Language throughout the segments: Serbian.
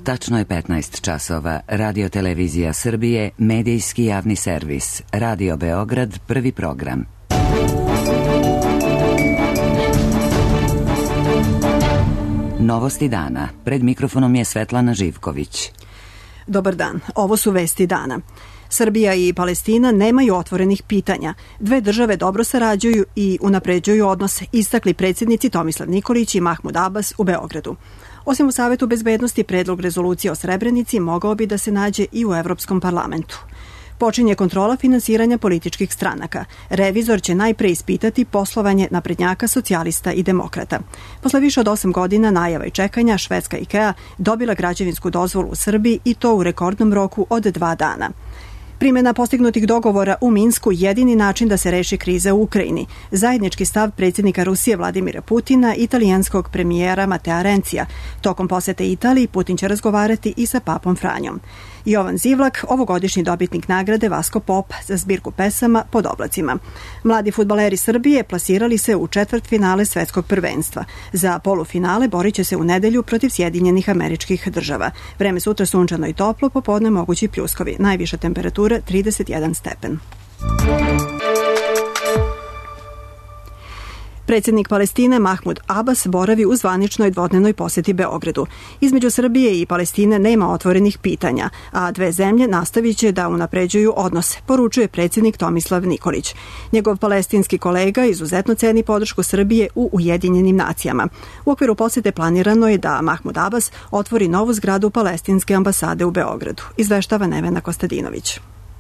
Tačno je 15 časova. Radio Televizija Srbije, medijski javni servis. Radio Beograd, prvi program. Novosti dana. Pred mikrofonom je Svetlana Živković. Dobar dan. Ovo su vesti dana. Srbija i Palestina nemaju otvorenih pitanja. Dve države dobro sarađuju i unapređuju odnose, istakli predsjednici Tomislav Nikolić i Mahmud Abbas u Beogradu. Osim u Savetu bezbednosti, predlog rezolucije o Srebrenici mogao bi da se nađe i u Evropskom parlamentu. Počinje kontrola finansiranja političkih stranaka. Revizor će najpre ispitati poslovanje naprednjaka, socijalista i demokrata. Posle više od 8 godina najava i čekanja, švedska IKEA dobila građevinsku dozvolu u Srbiji i to u rekordnom roku od 2 dana. Primjena postignutih dogovora u Minsku jedini način da se reši kriza u Ukrajini. Zajednički stav predsjednika Rusije Vladimira Putina i italijanskog premijera Matea Rencija. Tokom posete Italiji Putin će razgovarati i sa papom Franjom. Jovan Zivlak, ovogodišnji dobitnik nagrade Vasko Pop za zbirku pesama Pod oblacima. Mladi fudbaleri Srbije plasirali se u četvrtfinale svetskog prvenstva. Za polufinale borit će se u nedelju protiv Sjedinjenih Američkih Država. Vreme sutra sunčano i toplo, popodne mogući pljuskovi. Najviša temperatura 31 stepen. Predsjednik Palestine Mahmud Abbas boravi u zvaničnoj dvodnevnoj posjeti Beogradu. Između Srbije i Palestine nema otvorenih pitanja, a dve zemlje nastavit će da unapređuju odnose, poručuje predsjednik Tomislav Nikolić. Njegov palestinski kolega izuzetno ceni podršku Srbije u Ujedinjenim nacijama. U okviru posjete planirano je da Mahmud Abbas otvori novu zgradu palestinske ambasade u Beogradu, izveštava Nevena Kostadinović.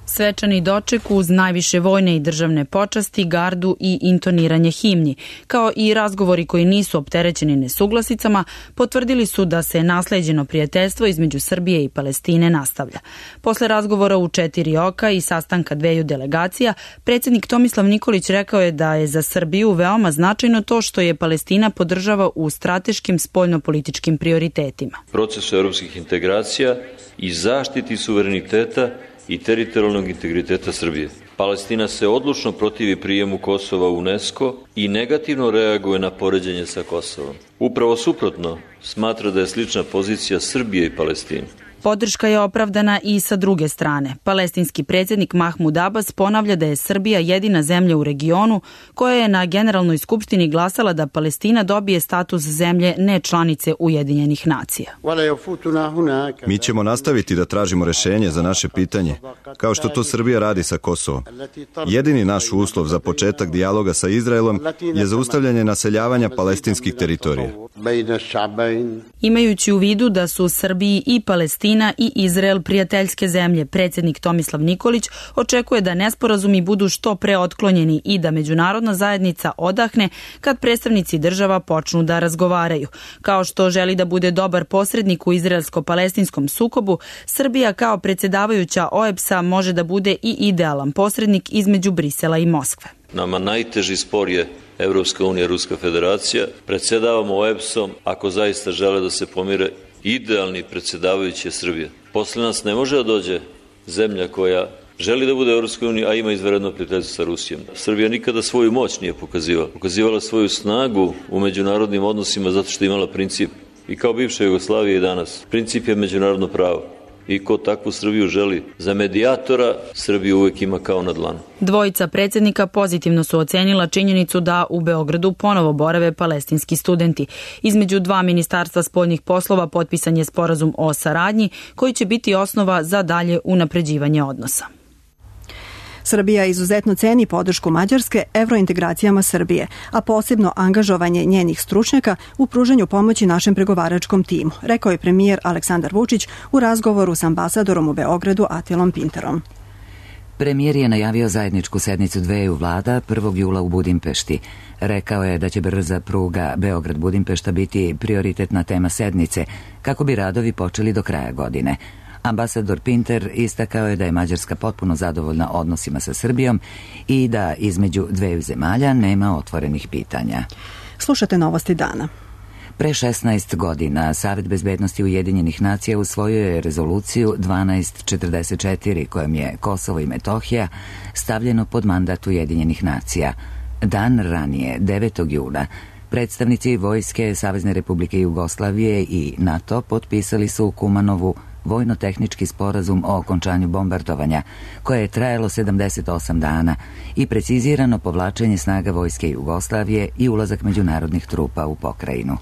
Svečani doček uz najviše vojne i državne počasti, gardu i intoniranje himni, kao i razgovori koji nisu opterećeni nesuglasicama, potvrdili su da se nasleđeno prijateljstvo između Srbije i Palestine nastavlja. Posle razgovora u 4 oka i sastanka dveju delegacija, predsjednik Tomislav Nikolić rekao je da je za Srbiju veoma značajno to što je Palestina podržava u strateškim spoljnopolitičkim prioritetima. Procesu evropskih integracija i zaštiti suvereniteta i teritorijalnog integriteta Srbije. Palestina se odlučno protivi prijemu Kosova u UNESCO i negativno reaguje na poređenje sa Kosovom. Upravo suprotno, smatra da je slična pozicija Srbije i Palestine. Podrška je opravdana i sa druge strane. Palestinski predsjednik Mahmud Abbas ponavlja da je Srbija jedina zemlja u regionu koja je na Generalnoj skupštini glasala da Palestina dobije status zemlje ne članice Ujedinjenih nacija. Mi ćemo nastaviti da tražimo rešenje za naše pitanje, kao što to Srbija radi sa Kosovom. Jedini naš uslov za početak dijaloga sa Izraelom je zaustavljanje naseljavanja palestinskih teritorija. Imajući u vidu da su Srbiji i Palestina i Izrael prijateljske zemlje, predsjednik Tomislav Nikolić očekuje da nesporazumi budu što pre otklonjeni i da međunarodna zajednica odahne kad predstavnici država počnu da razgovaraju. Kao što želi da bude dobar posrednik u izraelsko-palestinskom sukobu, Srbija kao predsjedavajuća OEBS-a može da bude i idealan posrednik između Brisela i Moskve. Nama najteži spor je Evropska unija, Ruska federacija. Predsjedavamo OEBS-om ako zaista žele da se pomire. Idealni predsjedavajući je Srbija. Posle nas ne može da dođe zemlja koja želi da bude u Evropskoj uniji, a ima izvanredno prijateljstvo sa Rusijom. Srbija nikada svoju moć nije pokazivala. Pokazivala svoju snagu u međunarodnim odnosima zato što je imala princip. I kao bivša Jugoslavija i danas. Princip je međunarodno pravo. I ko takvu Srbiju želi za medijatora, Srbiju uvek ima kao na dlanu. Dvojica predsjednika pozitivno su ocenila činjenicu da u Beogradu ponovo borave palestinski studenti. Između dva ministarstva spoljnih poslova potpisan je sporazum o saradnji koji će biti osnova za dalje unapređivanje odnosa. Srbija izuzetno ceni podršku Mađarske evrointegracijama Srbije, a posebno angažovanje njenih stručnjaka u pružanju pomoći našem pregovaračkom timu, rekao je premijer Aleksandar Vučić u razgovoru s ambasadorom u Beogradu Atilom Pinterom. Premijer je najavio zajedničku sednicu dveju vlada 1. jula u Budimpešti. Rekao je da će brza pruga Beograd-Budimpešta biti prioritetna tema sednice, kako bi radovi počeli do kraja godine. Ambasador Pinter istakao je da je Mađarska potpuno zadovoljna odnosima sa Srbijom i da između dveju zemalja nema otvorenih pitanja. Slušate novosti dana. Pre 16 godina Savet bezbednosti Ujedinjenih nacija usvojio je rezoluciju 1244 kojom je Kosovo i Metohija stavljeno pod mandat Ujedinjenih nacija. Dan ranije, 9. jula, Predstavnici vojske Savezne Republike Jugoslavije i NATO potpisali su Kumanovu vojno-tehnički sporazum o okončanju bombardovanja, koje je trajalo 78 dana i precizirano povlačenje snaga vojske Jugoslavije i ulazak međunarodnih trupa u pokrajinu.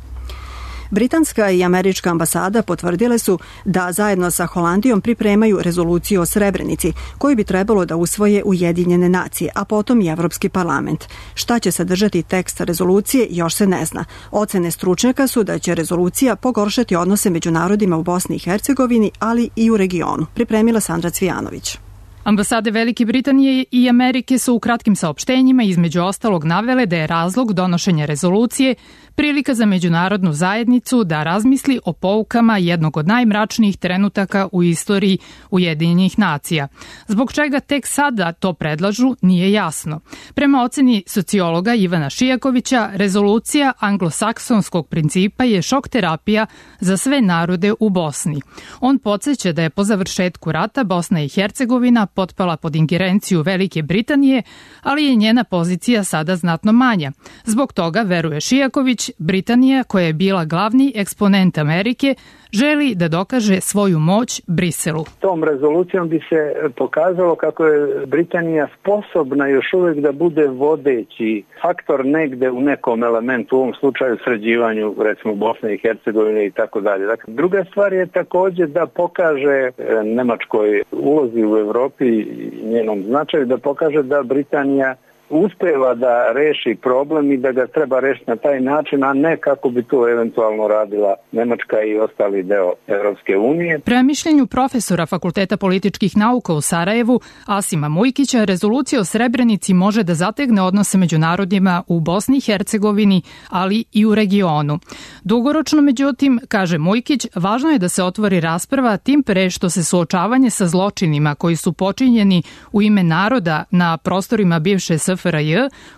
Britanska i američka ambasada potvrdile su da zajedno sa Holandijom pripremaju rezoluciju o Srebrenici, koju bi trebalo da usvoje Ujedinjene nacije, a potom i Evropski parlament. Šta će sadržati tekst rezolucije još se ne zna. Ocene stručnjaka su da će rezolucija pogoršati odnose među narodima u Bosni i Hercegovini, ali i u regionu. Pripremila Sandra Cvijanović. Ambasade Velike Britanije i Amerike su u kratkim saopštenjima između ostalog navele da je razlog donošenja rezolucije prilika za međunarodnu zajednicu da razmisli o poukama jednog od najmračnijih trenutaka u istoriji Ujedinjenih nacija. Zbog čega tek sada to predlažu nije jasno. Prema oceni sociologa Ivana Šijakovića, rezolucija anglosaksonskog principa je šok terapija za sve narode u Bosni. On podsjeća da je po završetku rata Bosna i Hercegovina potpala pod ingerenciju Velike Britanije, ali je njena pozicija sada znatno manja. Zbog toga, veruje Šijaković, Britanija, koja je bila glavni eksponent Amerike, želi da dokaže svoju moć Briselu. Tom rezolucijom bi se pokazalo kako je Britanija sposobna još uvijek da bude vodeći faktor negde u nekom elementu, u ovom slučaju sređivanju recimo Bosne i Hercegovine i tako dalje. Dakle, druga stvar je također da pokaže Nemačkoj ulozi u Evropi i njenom značaju, da pokaže da Britanija uspeva da reši problem i da ga treba rešiti na taj način, a ne kako bi to eventualno radila Nemačka i ostali deo Evropske unije. Prema mišljenju profesora Fakulteta političkih nauka u Sarajevu, Asima Mujkića, rezolucija o Srebrenici može da zategne odnose među narodima u Bosni i Hercegovini, ali i u regionu. Dugoročno, međutim, kaže Mujkić, važno je da se otvori rasprava, tim pre što se suočavanje sa zločinima koji su počinjeni u ime naroda na prostorima bivše SFRJ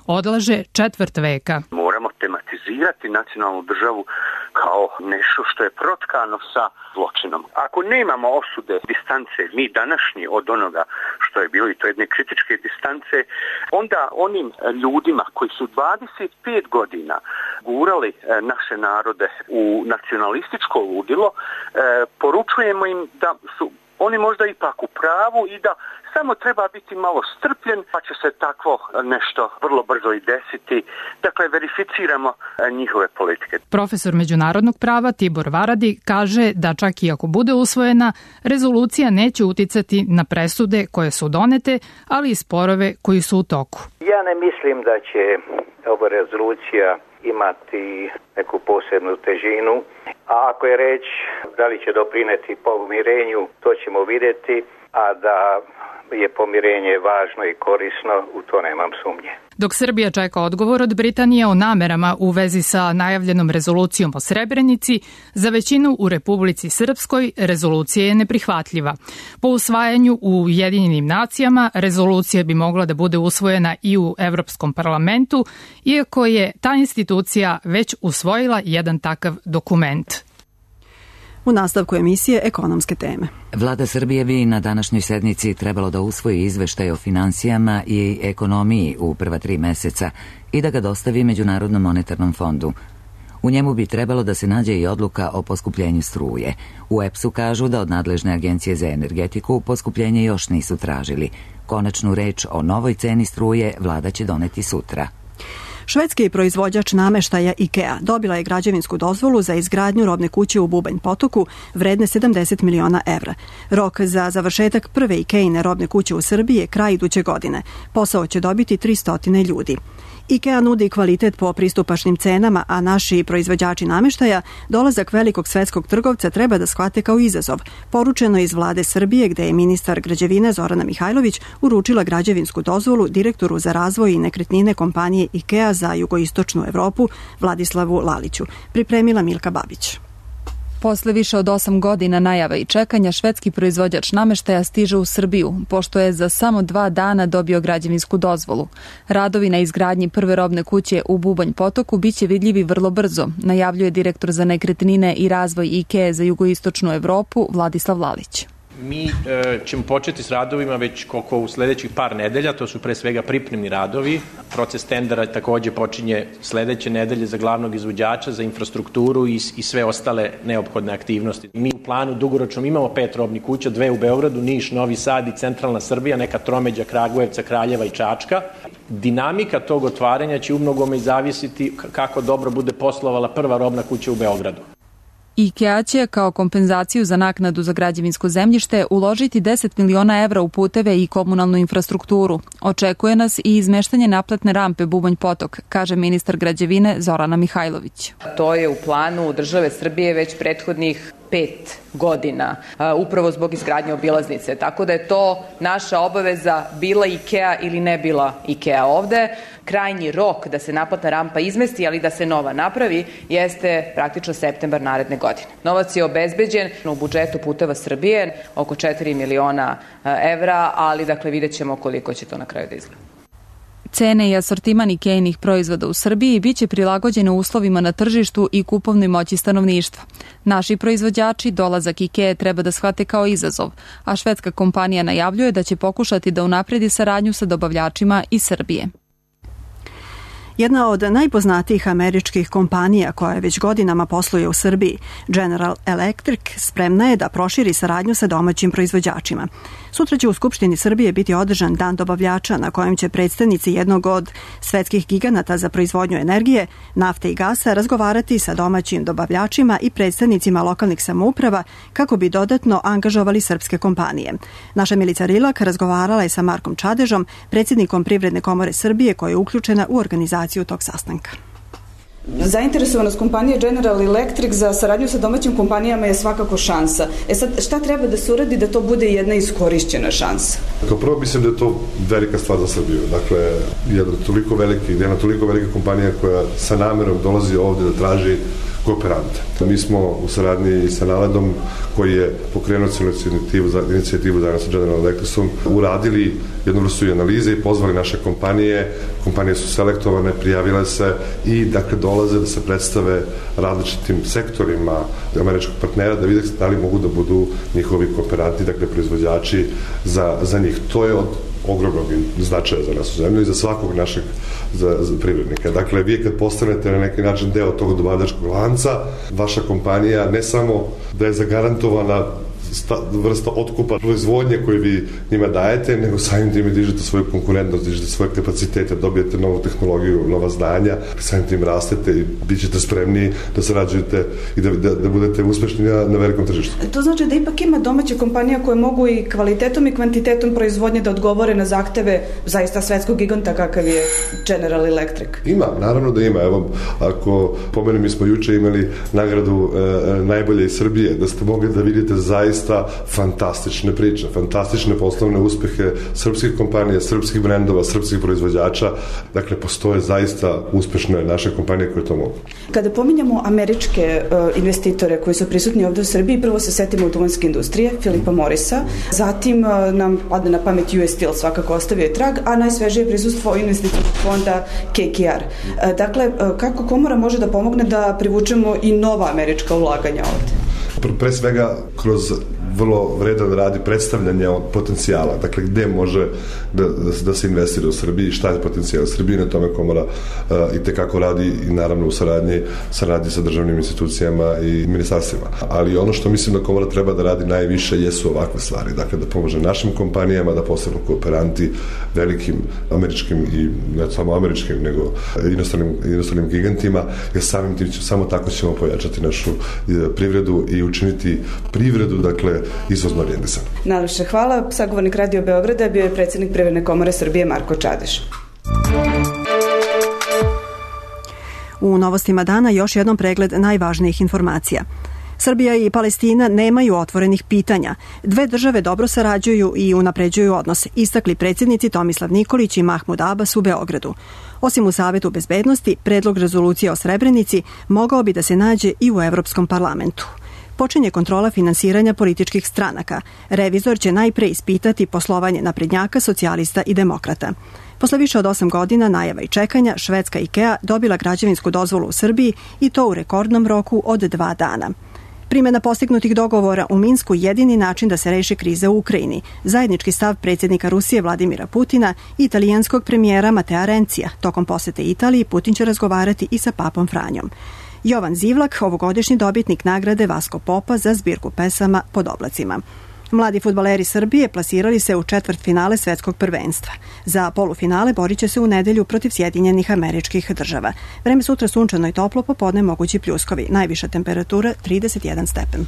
odlaže četvrt veka. Moramo tematizirati nacionalnu državu kao nešto što je protkano sa zločinom. Ako nemamo osude, distance, mi današnji od onoga što je bilo i to jedne kritičke distance, onda onim ljudima koji su 25 godina gurali naše narode u nacionalističko ludilo, poručujemo im da su oni možda ipak u pravu i da samo treba biti malo strpljen, pa će se takvo nešto vrlo brzo i desiti. Dakle, verificiramo njihove politike. Profesor međunarodnog prava Tibor Varadi kaže da čak i ako bude usvojena, rezolucija neće uticati na presude koje su donete, ali i sporove koji su u toku. Ja ne mislim da će ova rezolucija imati neku posebnu težinu, a ako je reč da li će doprineti pomirenju, to ćemo vidjeti, a da je pomirenje važno i korisno, u to nemam sumnje. Dok Srbija čeka odgovor od Britanije o namerama u vezi sa najavljenom rezolucijom o Srebrenici, za većinu u Republici Srpskoj rezolucija je neprihvatljiva. Po usvajanju u Ujedinjenim nacijama rezolucija bi mogla da bude usvojena i u Evropskom parlamentu, iako je ta institucija već usvojila jedan takav dokument. U nastavku emisije ekonomske teme. Vlada Srbije bi na današnjoj sednici trebalo da usvoji izveštaj o finansijama i ekonomiji u prva 3 meseca i da ga dostavi Međunarodnom monetarnom fondu. U njemu bi trebalo da se nađe i odluka o poskupljenju struje. U EPS-u kažu da od nadležne agencije za energetiku poskupljenje još nisu tražili. Konačnu reč o novoj ceni struje vlada će doneti sutra. Švedski proizvođač nameštaja IKEA dobila je građevinsku dozvolu za izgradnju robne kuće u Bubanj Potoku vredne 70 miliona evra. Rok za završetak prve IKEA-ine robne kuće u Srbiji je kraj iduće godine. Posao će dobiti 300 ljudi. IKEA nudi kvalitet po pristupačnim cenama, a naši proizvođači nameštaja dolazak velikog svetskog trgovca treba da shvate kao izazov. Poručeno iz vlade Srbije, gde je ministar građevine Zorana Mihajlović uručila građevinsku dozvolu direktoru za razvoj i nekretnine kompanije IKEA za jugoistočnu Evropu Vladislavu Laliću. Pripremila Milka Babić. Posle više od 8 godina najava i čekanja, švedski proizvođač nameštaja stiže u Srbiju, pošto je za samo 2 dana dobio građevinsku dozvolu. Radovi na izgradnji prve robne kuće u Bubanj Potoku biće vidljivi vrlo brzo, najavljuje direktor za nekretnine i razvoj IKEA za jugoistočnu Evropu Vladislav Lalić. Mi ćemo početi s radovima već koliko u sledećih par nedelja, to su pre svega pripremni radovi. Proces tendera takođe počinje sledeće nedelje za glavnog izvođača, za infrastrukturu i sve ostale neophodne aktivnosti. Mi u planu dugoročno imamo 5 robnih kuća, 2 u Beogradu, Niš, Novi Sad i centralna Srbija, neka tromeđa Kragujevca, Kraljeva i Čačka. Dinamika tog otvaranja će umnogome i zavisiti kako dobro bude poslovala prva robna kuća u Beogradu. IKEA će kao kompenzaciju za naknadu za građevinsko zemljište uložiti 10 miliona evra u puteve i komunalnu infrastrukturu. Očekuje nas i izmeštanje naplatne rampe Bubanj Potok, kaže ministar građevine Zorana Mihajlović. To je u planu države Srbije već prethodnih 5 godina, upravo zbog izgradnje obilaznice. Tako da je to naša obaveza, bila IKEA ili ne bila IKEA ovde. Krajnji rok da se naplatna rampa izmesti, ali da se nova napravi, jeste praktično septembar naredne godine. Novac je obezbeđen u budžetu Puteva Srbije, oko 4 miliona evra, ali dakle vidjet ćemo koliko će to na kraju da izgleda. Cene i asortiman IKEA-inih proizvoda u Srbiji biće prilagođene uslovima na tržištu i kupovnoj moći stanovništva. Naši proizvođači dolazak IKEA treba da shvate kao izazov, a švedska kompanija najavljuje da će pokušati da unapredi saradnju sa dobavljačima iz Srbije. Jedna od najpoznatijih američkih kompanija koja već godinama posluje u Srbiji, General Electric, spremna je da proširi saradnju sa domaćim proizvođačima. Sutra će u Skupštini Srbije biti održan Dan dobavljača na kojem će predstavnici jednog od svetskih giganata za proizvodnju energije, nafte i gasa razgovarati sa domaćim dobavljačima i predstavnicima lokalnih samouprava kako bi dodatno angažovali srpske kompanije. Naša Milica Rilak razgovarala je sa Markom Čadežom, predsjednikom Privredne komore Srbije koja je uključena u organizaciju tog sastanka. Zainteresovanost kompanije General Electric za saradnju sa domaćim kompanijama je svakako šansa. Sad, šta treba da se uradi da to bude jedna iskorišćena šansa? Kao prvo mislim da je to velika stvar za Srbiju. Dakle, jedna toliko velika kompanija koja sa namerom dolazi ovde da traži kooperante. Mi smo u saradnji sa Naledom, koji je pokrenuo inicijativu zajedno sa General Electricom, uradili jednu vrstu analize i pozvali naše kompanije. Kompanije su selektovane, prijavile se i dakle dolaze da se predstave različitim sektorima američkog partnera da vide da li mogu da budu njihovi kooperanti, dakle proizvođači za njih. To je od ogromnog značaja za nas u zemlju i za svakog našeg privrednika. Dakle, vi kad postanete na neki način deo tog dobavljačkog lanca, vaša kompanija ne samo da je zagarantovana vrsta otkupa proizvodnje koju vi njima dajete, nego samim tim dižete svoju konkurentnost, dižete svoje kapacitete, dobijete novu tehnologiju, nova znanja, samim tim rastete i bit ćete spremni da sarađujete i da budete uspešni na velikom tržištu. To znači da ipak ima domaće kompanija koje mogu i kvalitetom i kvantitetom proizvodnje da odgovore na zahteve zaista svetskog giganta kakav je General Electric. Ima, naravno da ima. Evo, ako pomenem, mi smo juče imali nagradu najbolje iz Srbije, da ste mogli da vidite zaista fantastične priče, fantastične poslovne uspehe srpskih kompanija, srpskih brendova, srpskih proizvođača. Dakle, postoje zaista uspešne naše kompanije koje to mogu. Kada pominjamo američke investitore koji su prisutni ovde u Srbiji, prvo se setimo duvanske industrije, Filipa Morisa, zatim nam padne na pamet US Steel, svakako ostavio je trag, a najsvežije prisustvo investicijskog fonda KKR. Dakle, kako komora može da pomogne da privučemo i nova američka ulaganja ovde? Pre svega kroz vrlo vredan radi predstavljanja potencijala, dakle gde može da se investira u Srbiji, šta je potencijal u Srbiji, na tome komora i tekako radi i naravno u saradnji sa državnim institucijama i ministarstvima. Ali ono što mislim da komora treba da radi najviše jesu ovakve stvari, dakle da pomože našim kompanijama, da postanu kooperanti velikim američkim i ne samo američkim, nego inostranim gigantima, jer samim tim samo tako ćemo pojačati našu privredu i učiniti privredu, dakle, izvozno orijentisan. Najlepše hvala. Sagovornik Radio Beograda bio je predsjednik Privredne komore Srbije Marko Čadež. U novostima dana još jednom pregled najvažnijih informacija. Srbija i Palestina nemaju otvorenih pitanja. Dve države dobro sarađuju i unapređuju odnose, istakli predsjednici Tomislav Nikolić i Mahmud Abbas u Beogradu. Osim u Savetu bezbednosti, predlog rezolucije o Srebrenici mogao bi da se nađe i u Evropskom parlamentu. Počinje kontrola finansiranja političkih stranaka. Revizor će najpre ispitati poslovanje naprednjaka, socijalista i demokrata. Posle više od 8 godina najava i čekanja, švedska IKEA dobila građevinsku dozvolu u Srbiji i to u rekordnom roku od 2 dana. Primjena postignutih dogovora u Minsku jedini način da se reši kriza u Ukrajini. Zajednički stav predsjednika Rusije Vladimira Putina i italijanskog premijera Matea Rencija. Tokom posete Italiji Putin će razgovarati i sa papom Franjom. Jovan Zivlak, ovogodišnji dobitnik nagrade Vasko Popa za zbirku pesama Pod oblacima. Mladi fudbaleri Srbije plasirali se u četvrtfinale svetskog prvenstva. Za polufinale borit će se u nedelju protiv Sjedinjenih Američkih Država. Vreme sutra sunčano i toplo, popodne mogući pljuskovi. Najviša temperatura 31 stepen.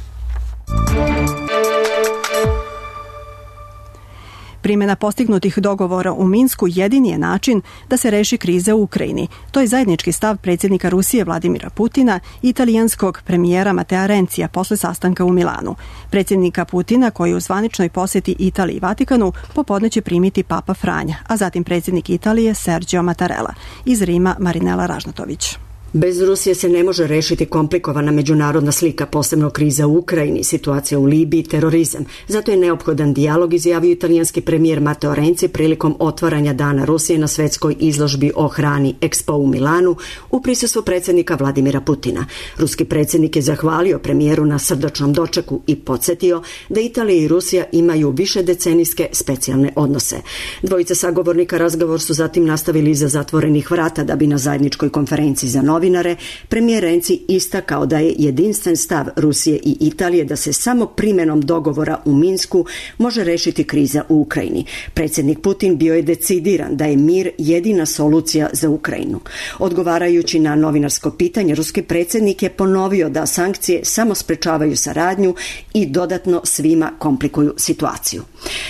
Primjena postignutih dogovora u Minsku jedini je način da se reši kriza u Ukrajini. To je zajednički stav predsjednika Rusije Vladimira Putina i italijanskog premijera Matea Rencija posle sastanka u Milanu. Predsjednika Putina, koji u zvaničnoj posjeti Italiji i Vatikanu, popodne će primiti papa Franja, a zatim predsjednik Italije Sergio Mattarella. Iz Rima Marinela Ražnatović. Bez Rusije se ne može rešiti komplikovana međunarodna slika, posebno kriza u Ukrajini, situacija u Libiji, terorizam. Zato je neophodan dijalog, izjavio italijanski premijer Matteo Renzi prilikom otvaranja Dana Rusije na svetskoj izložbi o hrani Expo u Milanu u prisustvu predsjednika Vladimira Putina. Ruski predsjednik je zahvalio premijeru na srdačnom dočeku i podsjetio da Italija i Rusija imaju višedecenijske specijalne odnose. Dvojica sagovornika razgovor su zatim nastavili iza zatvorenih vrata da bi na zajedničkoj konferenciji za novinare premijer Renzi istakao da je jedinstven stav Rusije i Italije da se samo primjenom dogovora u Minsku može rešiti kriza u Ukrajini. Predsjednik Putin bio je decidiran da je mir jedina solucija za Ukrajinu. Odgovarajući na novinarsko pitanje, ruski predsjednik je ponovio da sankcije samo sprečavaju saradnju i dodatno svima komplikuju situaciju.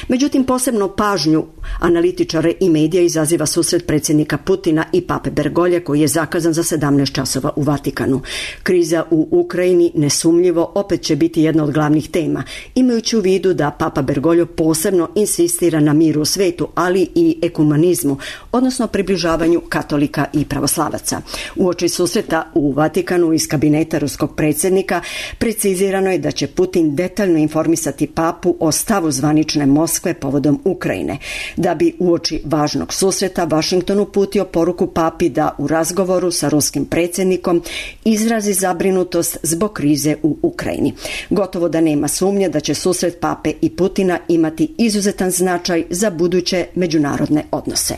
Međutim, posebno pažnju analitičare i medija izaziva susret predsjednika Putina i pape Bergolje koji je zakazan za 17 časova u Vatikanu. Kriza u Ukrajini nesumnjivo opet će biti jedna od glavnih tema, imajući u vidu da papa Bergoglio posebno insistira na miru u svetu, ali i ekumenizmu, odnosno približavanju katolika i pravoslavaca. Uoči susreta u Vatikanu iz kabineta ruskog predsjednika precizirano je da će Putin detaljno informisati papu o stavu zvanične Moskve povodom Ukrajine. Da bi uoči važnog susreta Washington uputio poruku papi da u razgovoru sa ruskim predsjednikom izrazi zabrinutost zbog krize u Ukrajini. Gotovo da nema sumnje da će susret pape i Putina imati izuzetan značaj za buduće međunarodne odnose.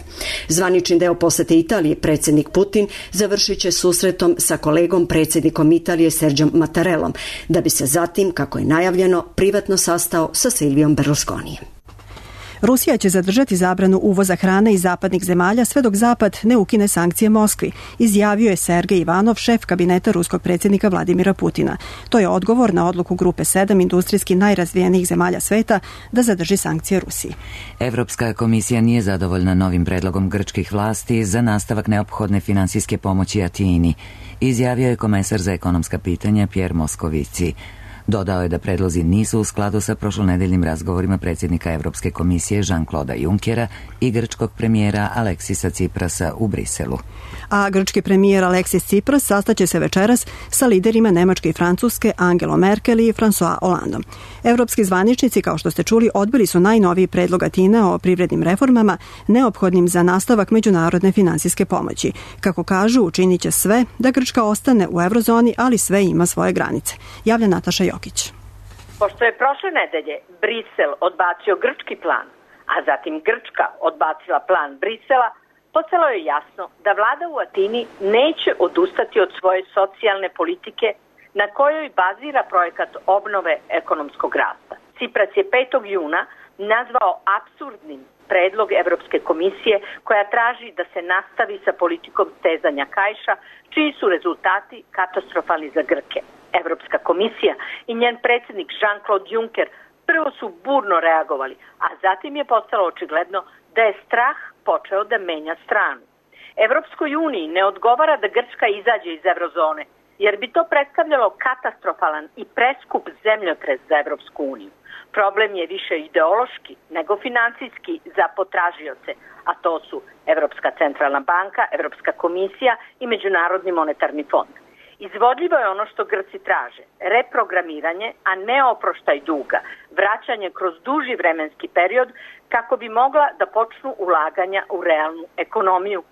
Zvanični deo posete Italije predsjednik Putin završit će susretom sa kolegom predsjednikom Italije Sergiom Mattarellom, da bi se zatim, kako je najavljeno, privatno sastao sa Silvijom Berlusconijem. Rusija će zadržati zabranu uvoza hrane iz zapadnih zemalja sve dok Zapad ne ukine sankcije Moskvi, izjavio je Sergej Ivanov, šef kabineta ruskog predsjednika Vladimira Putina. To je odgovor na odluku Grupe 7 industrijski najrazvijenijih zemalja sveta da zadrži sankcije Rusiji. Evropska komisija nije zadovoljna novim predlogom grčkih vlasti za nastavak neophodne finansijske pomoći Atini, izjavio je komesar za ekonomska pitanja Pierre Moscovici. Dodao je da predlozi nisu u skladu sa prošlonedeljnim razgovorima predsjednika Evropske komisije Jean-Claude Junckera i grčkog premijera Aleksisa Tsiprasa u Briselu. A grčki premijer Aleksis Tsipras sastaće se večeras sa liderima Nemačke i Francuske Angelom Merkel i François Hollandom. Evropski zvaničnici, kao što ste čuli, odbili su najnoviji predlog Atine o privrednim reformama neophodnim za nastavak međunarodne finansijske pomoći. Kako kažu, učinit će sve da Grčka ostane u eurozoni, ali sve ima svoje granice. Javlja Nataša Jokić. Pošto je prošle nedelje Brisel odbacio grčki plan, a zatim Grčka odbacila plan Brisela, postalo je jasno da vlada u Atini neće odustati od svoje socijalne politike na kojoj bazira projekat obnove ekonomskog rasta. Tsipras je 5. juna nazvao apsurdnim predlog Evropske komisije koja traži da se nastavi sa politikom stezanja kaiša, čiji su rezultati katastrofalni za Grke. Evropska komisija i njen predsjednik Jean-Claude Juncker prvo su burno reagovali, a zatim je postalo očigledno da je strah počeo da menja stranu. Evropskoj uniji ne odgovara da Grčka izađe iz eurozone, jer bi to predstavljalo katastrofalan i preskup zemljotres za Evropsku uniju. Problem je više ideološki nego financijski za potražioce, a to su Evropska centralna banka, Evropska komisija i Međunarodni monetarni fond. Izvodljivo je ono što Grci traže, reprogramiranje, a ne oproštaj duga, vraćanje kroz duži vremenski period kako bi mogla da počnu ulaganja u realnu ekonomiju,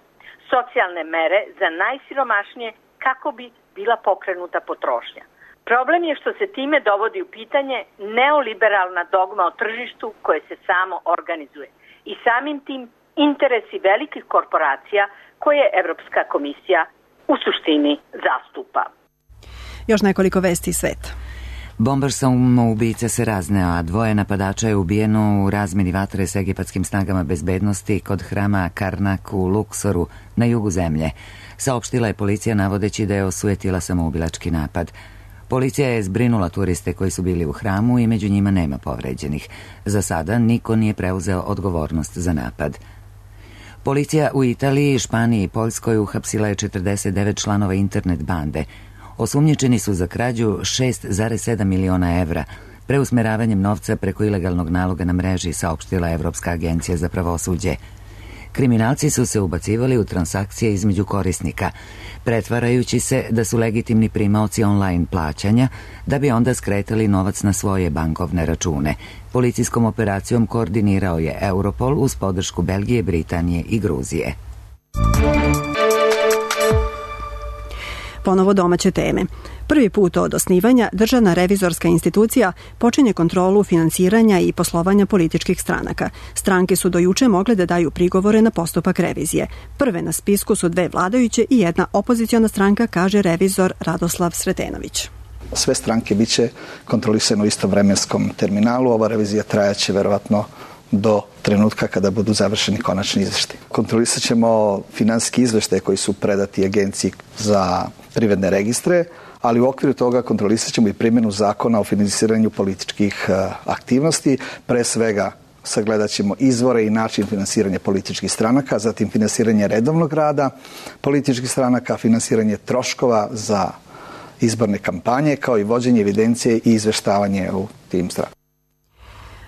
socijalne mere za najsiromašnije kako bi bila pokrenuta potrošnja. Problem je što se time dovodi u pitanje neoliberalna dogma o tržištu koje se samo organizuje i samim tim interesi velikih korporacija koje Evropska komisija u suštini zastupa. Još nekoliko vesti iz sveta. Bombaš samoubica se razneo, a 2 napadača je ubijeno u razmeni vatre s egipatskim snagama bezbednosti kod hrama Karnak u Luksoru na jugu zemlje. Saopštila je policija navodeći da je osujetila samoubilački napad. Policija je zbrinula turiste koji su bili u hramu i među njima nema povređenih. Za sada niko nije preuzeo odgovornost za napad. Policija u Italiji, Španiji i Poljskoj uhapsila je 49 članova internet bande. Osumnjičeni su za krađu 6,7 miliona evra, preusmeravanjem novca preko ilegalnog naloga na mreži, saopštila Evropska agencija za pravosuđe. Kriminalci su se ubacivali u transakcije između korisnika, pretvarajući se da su legitimni primaoci online plaćanja, da bi onda skretali novac na svoje bankovne račune. Policijskom operacijom koordinirao je Europol uz podršku Belgije, Britanije i Gruzije. Ponovo domaće teme. Prvi put od osnivanja Državna revizorska institucija počinje kontrolu finansiranja i poslovanja političkih stranaka. Stranke su do juče mogle da daju prigovore na postupak revizije. Prve na spisku su 2 vladajuće i 1 opoziciona stranka, kaže revizor Radoslav Sretenović. Sve stranke biće kontrolisane u istom vremenskom terminalu. Ova revizija trajaće verovatno do trenutka kada budu završeni konačni izveštaj. Kontrolisat ćemo finansijski izveštaje koji su predati Agenciji za privredne registre, ali u okviru toga kontrolisat ćemo i primjenu zakona o finansiranju političkih aktivnosti. Pre svega sagledat ćemo izvore i način finansiranja političkih stranaka, zatim finansiranje redovnog rada političkih stranaka, finansiranje troškova za izborne kampanje, kao i vođenje evidencije i izveštavanje u tim strankama.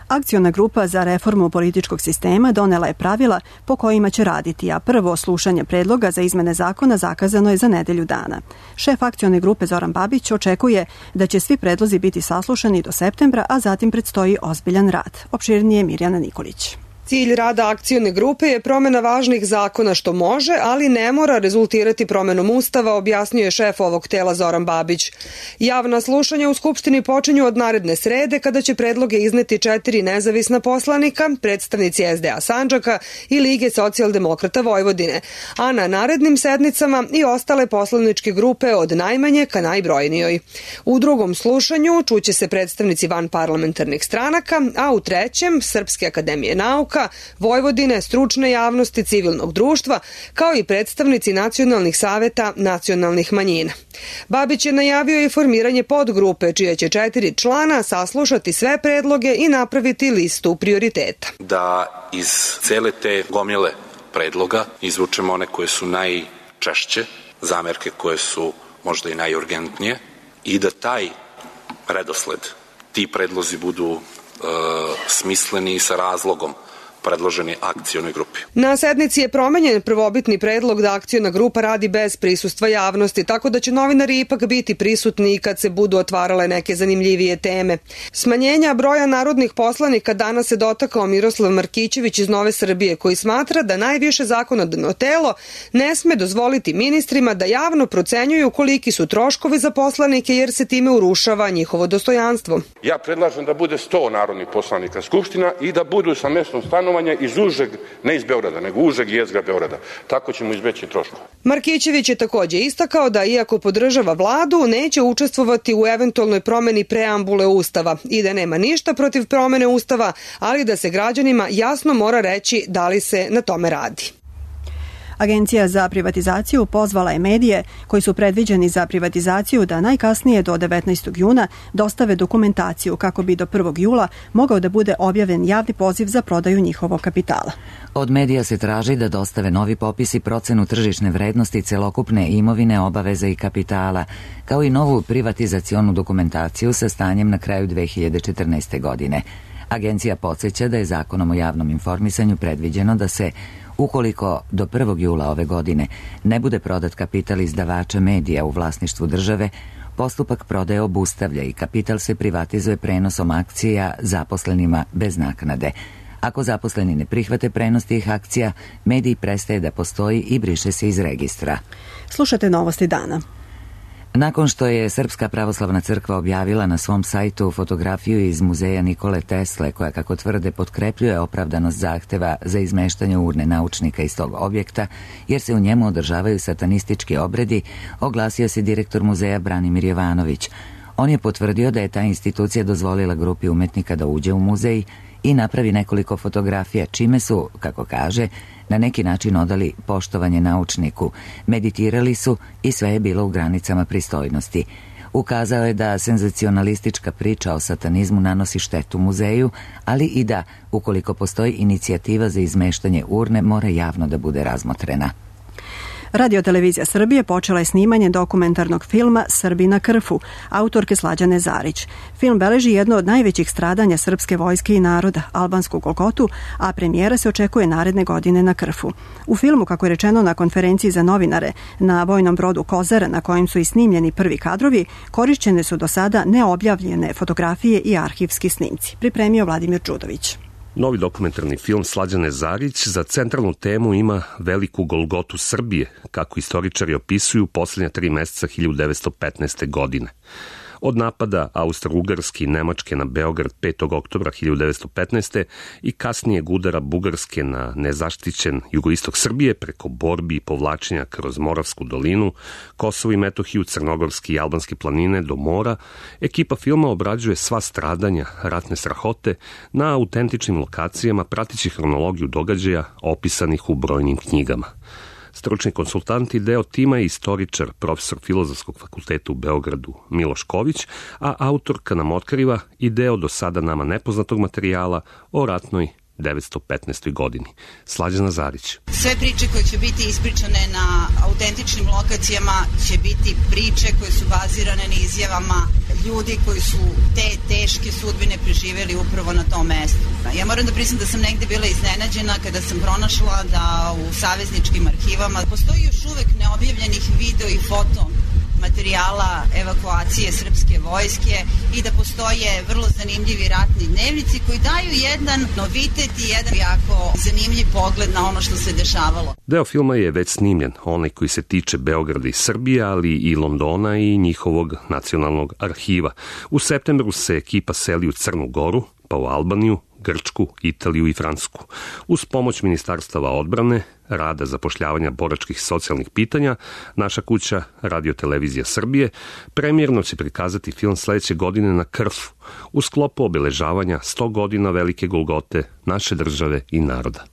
Akciona grupa za reformu političkog sistema donela je pravila po kojima će raditi, a prvo slušanje predloga za izmene zakona zakazano je za nedelju dana. Šef akcione grupe Zoran Babić očekuje da će svi predlozi biti saslušani do septembra, a zatim predstoji ozbiljan rad. Opširnije Mirjana Nikolić. Cilj rada akcione grupe je promjena važnih zakona što može, ali ne mora rezultirati promjenom Ustava, objasnio je šef ovog tela Zoran Babić. Javna slušanja u Skupštini počinju od naredne srede, kada će predloge izneti 4 nezavisna poslanika, predstavnici SDA Sandžaka i Lige socijaldemokrata Vojvodine, a na narednim sednicama i ostale poslaničke grupe od najmanje ka najbrojnijoj. U drugom slušanju čuće se predstavnici vanparlamentarnih stranaka, a u trećem Srpske akademije nauka, Vojvodine, stručne javnosti, civilnog društva, kao i predstavnici nacionalnih saveta nacionalnih manjina. Babić je najavio i formiranje podgrupe, čije će 4 člana saslušati sve predloge i napraviti listu prioriteta. Da iz cele te gomile predloga izvučemo one koje su najčešće, zamerke koje su možda i najurgentnije, i da taj redosled, ti predlozi budu smisleni i sa razlogom predloženi akcionoj grupi. Na sednici je promenjen prvobitni predlog da akciona grupa radi bez prisustva javnosti, tako da će novinari ipak biti prisutni kad se budu otvarale neke zanimljivije teme. Smanjenja broja narodnih poslanika danas se dotakao Miroslav Markićević iz Nove Srbije, koji smatra da najviše zakonodavno telo ne sme dozvoliti ministrima da javno procenjuju koliki su troškovi za poslanike, jer se time urušava njihovo dostojanstvo. Ja predlažem da bude 100 narodnih poslanika Skupština i da budu sa mestom stanovanja iz užeg, ne iz Beograda, nego užeg jezgra Beograda. Tako ćemo izbeći troškove. Markićević je također istakao da, iako podržava vladu, neće učestvovati u eventualnoj promeni preambule Ustava i da nema ništa protiv promene Ustava, ali da se građanima jasno mora reći da li se na tome radi. Agencija za privatizaciju pozvala je medije koji su predviđeni za privatizaciju da najkasnije do 19. juna dostave dokumentaciju kako bi do 1. jula mogao da bude objavljen javni poziv za prodaju njihovog kapitala. Od medija se traži da dostave novi popis i procenu tržišne vrednosti celokupne imovine, obaveza i kapitala, kao i novu privatizacionu dokumentaciju sa stanjem na kraju 2014. godine. Agencija podsjeća da je Zakonom o javnom informisanju predviđeno da se, ukoliko do 1. jula ove godine ne bude prodat kapital izdavača medija u vlasništvu države, postupak prodaje obustavlja i kapital se privatizuje prenosom akcija zaposlenima bez naknade. Ako zaposleni ne prihvate prenos tih akcija, medij prestaje da postoji i briše se iz registra. Slušate Novosti dana. Nakon što je Srpska pravoslavna crkva objavila na svom sajtu fotografiju iz muzeja Nikole Tesle, koja, kako tvrde, potkrepljuje opravdanost zahteva za izmeštanje urne naučnika iz tog objekta, jer se u njemu održavaju satanistički obredi, oglasio se direktor muzeja Branimir Jovanović. On je potvrdio da je ta institucija dozvolila grupi umetnika da uđe u muzej i napravi nekoliko fotografija, čime su, kako kaže, na neki način odali poštovanje naučniku, meditirali su i sve je bilo u granicama pristojnosti. Ukazao je da senzacionalistička priča o satanizmu nanosi štetu muzeju, ali i da, ukoliko postoji inicijativa za izmeštanje urne, mora javno da bude razmotrena. Radio-televizija Srbije počela je snimanje dokumentarnog filma Srbi na Krfu, autorke Slađane Zarić. Film beleži jedno od najvećih stradanja srpske vojske i naroda, albansku Golgotu, a premijera se očekuje naredne godine na Krfu. U filmu, kako je rečeno na konferenciji za novinare na vojnom brodu Kozara, na kojem su i snimljeni prvi kadrovi, korišćene su do sada neobjavljene fotografije i arhivski snimci. Pripremio Vladimir Đudović. Novi dokumentarni film Slađane Zarić za centralnu temu ima veliku Golgotu Srbije, kako istoričari opisuju posljednja 3 meseca 1915. godine. Od napada Austro-Ugarske i Nemačke na Beograd 5. oktobra 1915. i kasnijeg udara Bugarske na nezaštićen jugoistok Srbije preko borbi i povlačenja kroz Moravsku dolinu, Kosovo i Metohiju, Crnogorske i Albanske planine do mora, ekipa filma obrađuje sva stradanja, ratne strahote na autentičnim lokacijama, pratići hronologiju događaja opisanih u brojnim knjigama. Stručni konsultant i deo tima je istoričar, profesor Filozofskog fakulteta u Beogradu Miloš Ković, a autorka nam otkriva i deo do sada nama nepoznatog materijala o ratnoj 1915. godini. Slađana Zarić. Sve priče koje će biti ispričane na autentičnim lokacijama će biti priče koje su bazirane na izjavama ljudi koji su te teške sudbine preživeli upravo na tom mestu. Ja moram da priznam da sam negde bila iznenađena kada sam pronašla da u savezničkim arhivama postoji još uvek neobjavljenih video i foto materijala evakuacije srpske vojske i da postoje vrlo zanimljivi ratni dnevnici koji daju jedan novitet i jedan jako zanimljiv pogled na ono što se dešavalo. Deo filma je već snimljen, onaj koji se tiče Beograda i Srbije, ali i Londona i njihovog nacionalnog arhiva. U septembru se ekipa seli u Crnu Goru, pa u Albaniju, Grčku, Italiju i Francusku. Uz pomoć Ministarstava odbrane, rada zapošljavanja boračkih socijalnih pitanja, naša kuća Radio-televizija Srbije premijerno će prikazati film sledeće godine na Krfu, u sklopu obeležavanja 100 godina velike Golgote naše države i naroda.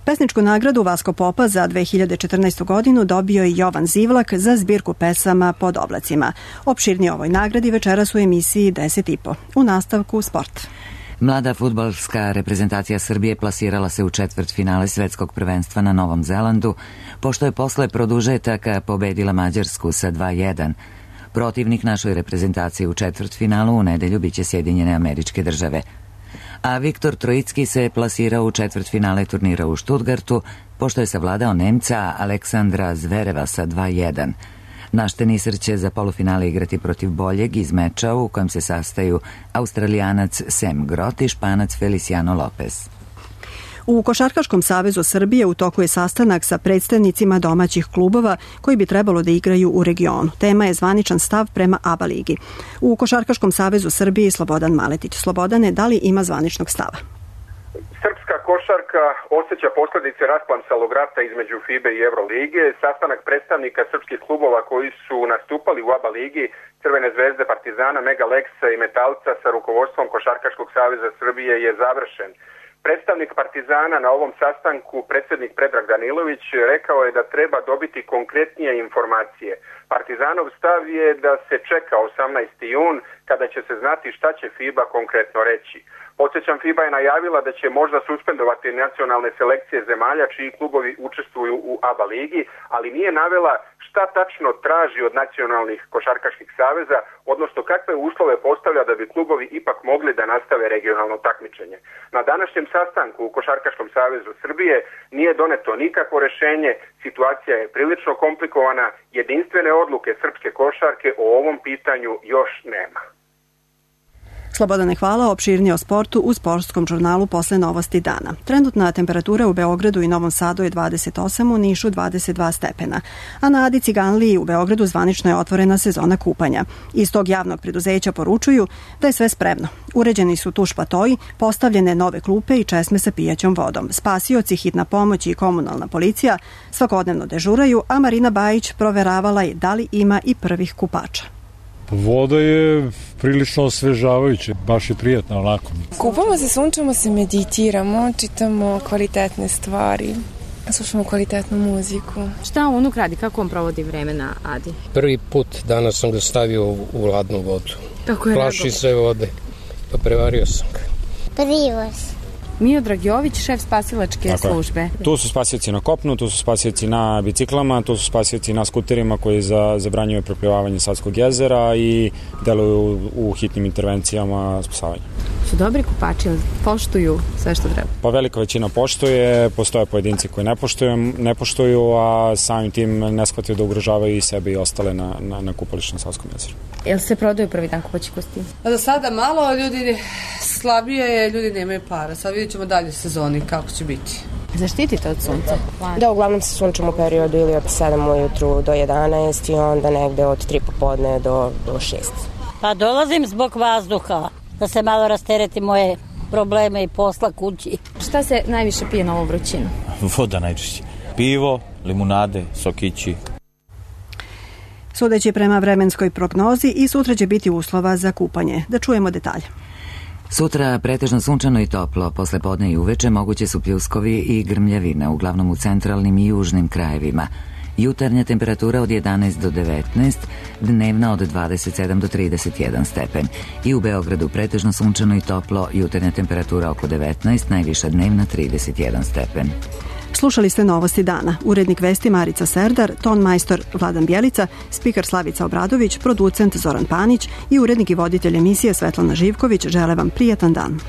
Pesničku nagradu Vasko Popa za 2014. godinu dobio je Jovan Zivlak za zbirku pesama Pod oblacima. Opširnije ovoj nagradi večeras u emisiji 10.5. U nastavku sport. Mlada fudbalska reprezentacija Srbije plasirala se u četvrtfinale svetskog prvenstva na Novom Zelandu, pošto je posle produžetaka pobedila Mađarsku sa 2:1. Protivnik našoj reprezentaciji u četvrtfinalu u nedelju biće Sjedinjene Američke Države. A Viktor Trojicki se plasirao u četvrtfinale turnira u Štutgartu, pošto je savladao Nemca Aleksandra Zvereva sa 2:1. Naš tenisar će za polufinale igrati protiv boljeg iz meča u kojem se sastaju Australijanac Sam Grot i Španac Feliciano Lopez. U Košarkaškom savezu Srbije u toku je sastanak sa predstavnicima domaćih klubova koji bi trebalo da igraju u regionu. Tema je zvaničan stav prema ABA ligi. U Košarkaškom savezu Srbije Slobodan Maletić. Slobodane, da li ima zvaničnog stava? Srpska košarka osjeća posljedice rasplamsalog rata između FIBA i Evrolige. Sastanak predstavnika srpskih klubova koji su nastupali u ABA ligi, Crvene zvezde, Partizana, Mega Leksa i Metalca sa rukovodstvom Košarkaškog saveza Srbije je završen. Predstavnik Partizana na ovom sastanku, predsjednik Predrag Danilović, rekao je da treba dobiti konkretnije informacije. Partizanov stav je da se čeka 18. jun kada će se znati šta će FIBA konkretno reći. Podsjećam, FIBA je najavila da će možda suspendovati nacionalne selekcije zemalja čiji klubovi učestvuju u ABA ligi, ali nije navela šta tačno traži od nacionalnih košarkaških saveza, odnosno kakve uslove postavlja da bi klubovi ipak mogli da nastave regionalno takmičenje. Na današnjem sastanku u Košarkaškom savezu Srbije nije doneto nikakvo rešenje, situacija je prilično komplikovana, jedinstvene odluke srpske košarke o ovom pitanju još nema. Slobodane, hvala. Opširnije o sportu u sportskom žurnalu posle novosti dana. Trenutna temperatura u Beogradu i Novom Sadu je 28, u Nišu 22 stepena. A na Adi Ciganliji u Beogradu zvanično je otvorena sezona kupanja. Iz tog javnog preduzeća poručuju da je sve spremno. Uređeni su tuš platoji, postavljene nove klupe i česme sa pijaćom vodom. Spasioci, hitna pomoć i komunalna policija svakodnevno dežuraju, a Marina Bajić proveravala je da li ima i prvih kupača. Voda je prilično osvežavajuća, baš je prijatna onako. Kupamo se, sunčamo se, meditiramo, čitamo kvalitetne stvari, slušamo kvalitetnu muziku. Šta unuk radi, kako on provodi vreme na Adi? Prvi put danas sam ga stavio u hladnu vodu. Kako je plaši se vode, pa prevario sam ga. Privoz. Miodrag Jović, šef spasilačke službe. Tu su spasioci na kopnu, tu su spasioci na biciklama, tu su spasioci na skuterima koji zabranjuju preplivavanje Savskog jezera i deluju u hitnim intervencijama spasavanja. Su dobri kupači, poštuju sve što treba? Pa velika većina poštuje, postoje pojedinci koji ne poštuju, a samim tim ne shvataju da ugrožavaju i sebe i ostale na kupalištu na Savskom jezeru. Jel se prodaju prvi dan kupaći kostimi? Za sada malo, ljudi slabije je, ljudi nemaju para. Sad vidjet ćemo dalje sezoni kako će biti. Zaštitite od sunca? Da, uglavnom se sunčamo u periodu ili od 7 ujutru do 11 i onda negde od 3 popodne do 6. Pa dolazim zbog vazduha, da se malo rastereti moje probleme i posla kući. Šta se najviše pije na ovu vrućinu? Voda najčešće. Pivo, limunade, sokići. Sudeći prema vremenskoj prognozi i sutra će biti uslova za kupanje. Da čujemo detalje. Sutra pretežno sunčano i toplo, posle podne i uveče moguće su pljuskovi i grmljavine, uglavnom u centralnim i južnim krajevima. Jutarnja temperatura od 11 do 19, dnevna od 27 do 31 stepen. I u Beogradu pretežno sunčano i toplo, jutarnja temperatura oko 19, najviša dnevna 31 stepen. Slušali ste novosti dana. Urednik vesti Marica Serdar, ton majstor Vladan Bjelica, spiker Slavica Obradović, producent Zoran Panić i urednik i voditelj emisije Svetlana Živković žele vam prijatan dan.